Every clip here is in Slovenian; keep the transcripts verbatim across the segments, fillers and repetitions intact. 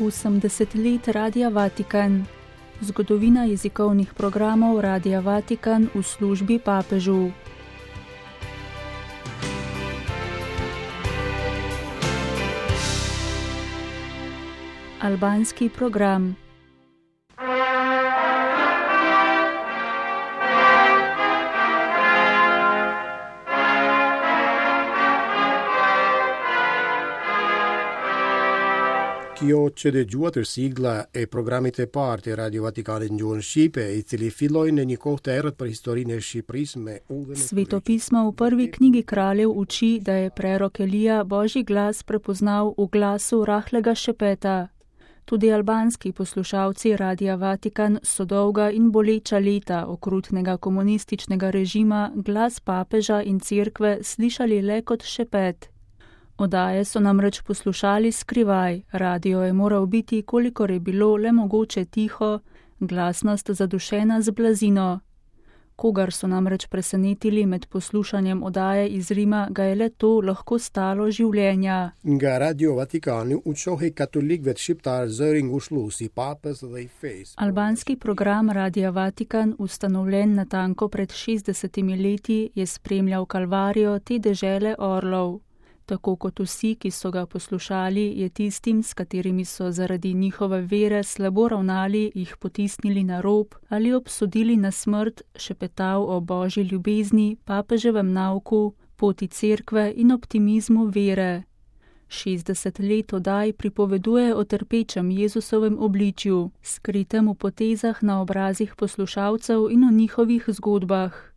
osemdeset let Radia Vatikan. Zgodovina jezikovnih programov Radia Vatikan v službi papežu. Albanski program. Kjo që dëgjuat është sigla e programit e parë të Radio Vatikanit në gjuhën shqipe, i cili filloi në një kohë të errët për historinë e Shqipërisë me udhën e Svetopismo u prvi knjigi kraljev uči da je prerok Elija Božji glas prepoznal v glasu rahlega šepeta. Tudi albanski poslušalci Radia Vatikan so dolga in boleča leta okrutnega komunističnega režima glas papeža in cerkve slišali le kot šepet. Odaje so namreč poslušali skrivaj, radio je moral biti, kolikor je bilo le mogoče tiho, glasnost zadušena z blazino. Kogar so namreč presenetili med poslušanjem odaje iz Rima, ga je le to lahko stalo življenja. Nga Radio Vatikani u qohej katolikëve të shqiptar zëri ngushëllues i papës dhe i fesë. Albanski program Radia Vatikan, ustanovljen natanko pred šestdesetimi leti, je spremljal kalvarijo te dežele orlov. Tako kot vsi, ki so ga poslušali, je tistim, s katerimi so zaradi njihove vere slabo ravnali, jih potisnili na rob ali obsodili na smrt, šepetal o Božji ljubezni, papeževem nauku, poti cerkve in optimizmu vere. šestdeset let oddaj pripoveduje o trpečem Jezusovem obličju, skritem v potezah na obrazih poslušalcev in o njihovih zgodbah.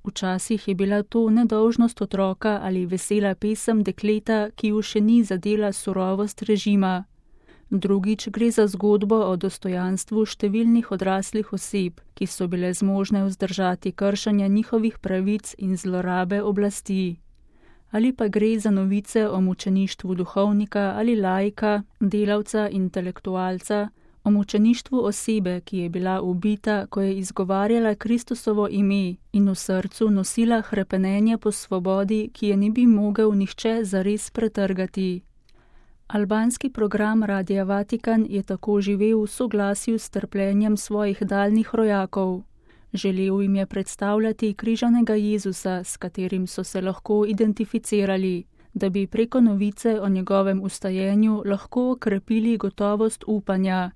Včasih je bila to nedolžnost otroka ali vesela pesem dekleta, ki ju še ni zadela surovost režima. Drugič gre za zgodbo o dostojanstvu številnih odraslih oseb, ki so bile zmožne vzdržati kršenja njihovih pravic in zlorabe oblasti. Ali pa gre za novice o mučeništvu duhovnika ali laika, delavca, intelektualca, o mučeništvu osebe, ki je bila ubita, ko je izgovarjala Kristusovo ime in v srcu nosila hrepenenje po svobodi, ki je ne bi mogel nihče zares pretrgati. Albanski program Radia Vatikan je tako živel v soglasju s trpljenjem svojih daljnih rojakov. Želel jim je predstavljati križanega Jezusa, s katerim so se lahko identificirali, da bi preko novice o njegovem ustajenju lahko okrepili gotovost upanja,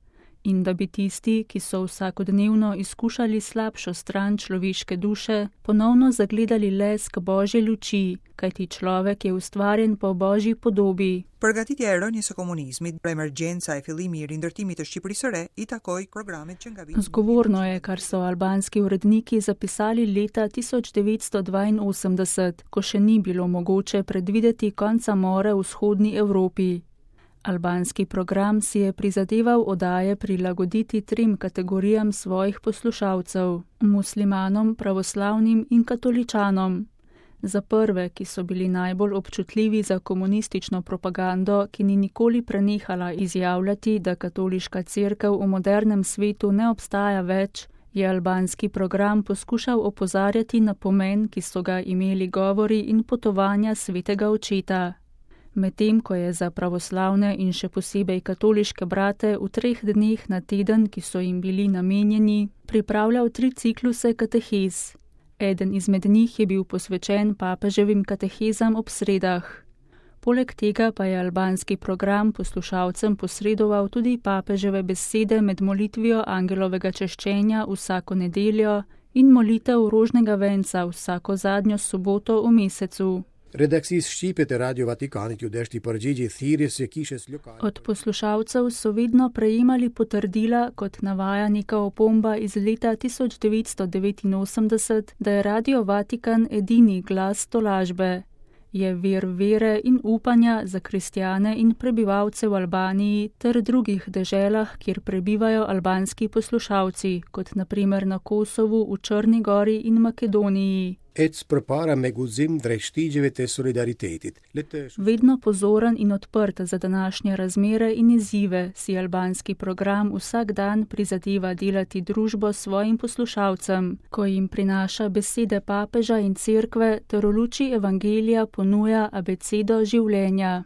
in da bi tisti, ki so vsakodnevno izkušali slabšo stran človeške duše, ponovno zagledali lesk Božje luči, kajti človek je ustvarjen po Božji podobi. Përgatitja e rënies së komunizmit, emergjenca e fillimi i rindërtimit të Shqipërisë së re i takoi programet që nga viti. Zgovorno je, kar so albanski uredniki zapisali leta tisoč devetsto dvainosemdeset, ko še ni bilo mogoče predvideti konca mora v vzhodni Evropi. Albanski program si je prizadeval oddaje prilagoditi trim kategorijam svojih poslušalcev, muslimanom, pravoslavnim in katoličanom. Za prve, ki so bili najbolj občutljivi za komunistično propagando, ki ni nikoli prenehala izjavljati, da katoliška cerkev v modernem svetu ne obstaja več, je albanski program poskušal opozarjati na pomen, ki so ga imeli govori in potovanja svetega očeta. Medtem ko je za pravoslavne in še posebej katoliške brate v treh dneh na teden, ki so jim bili namenjeni, pripravljal tri cikluse katehez. Eden izmed njih je bil posvečen papeževim katehezam ob sredah. Poleg tega pa je albanski program poslušalcem posredoval tudi papeževe besede med molitvijo angelovega češčenja vsako nedeljo in molitev rožnega venca vsako zadnjo soboto v mesecu. Redaksisë shqipe të Radio Vatikanit ju deshti përgjigje thirrjes së kishës lokale. Od poslušalcev so vedno prejemali potrdila, kot navaja neka opomba iz leta tisoč devetsto devetinosemdeset, da je Radio Vatikan edini glas tolažbe. Je vir vere in upanja za kristjane in prebivalce v Albaniji ter drugih deželah, kjer prebivajo albanski poslušalci, kot na primer na Kosovu, v Črni Gori in Makedoniji. Ec përpara me guxim drejt shtigjeve të solidaritetit. Vedno pozoren in odprt za današnje razmere in izzive, si albanski program vsak dan prizadeva delati družbo svojim poslušalcem, ko jim prinaša besede papeža in cerkve ter v luči evangelija ponuja abecedo življenja.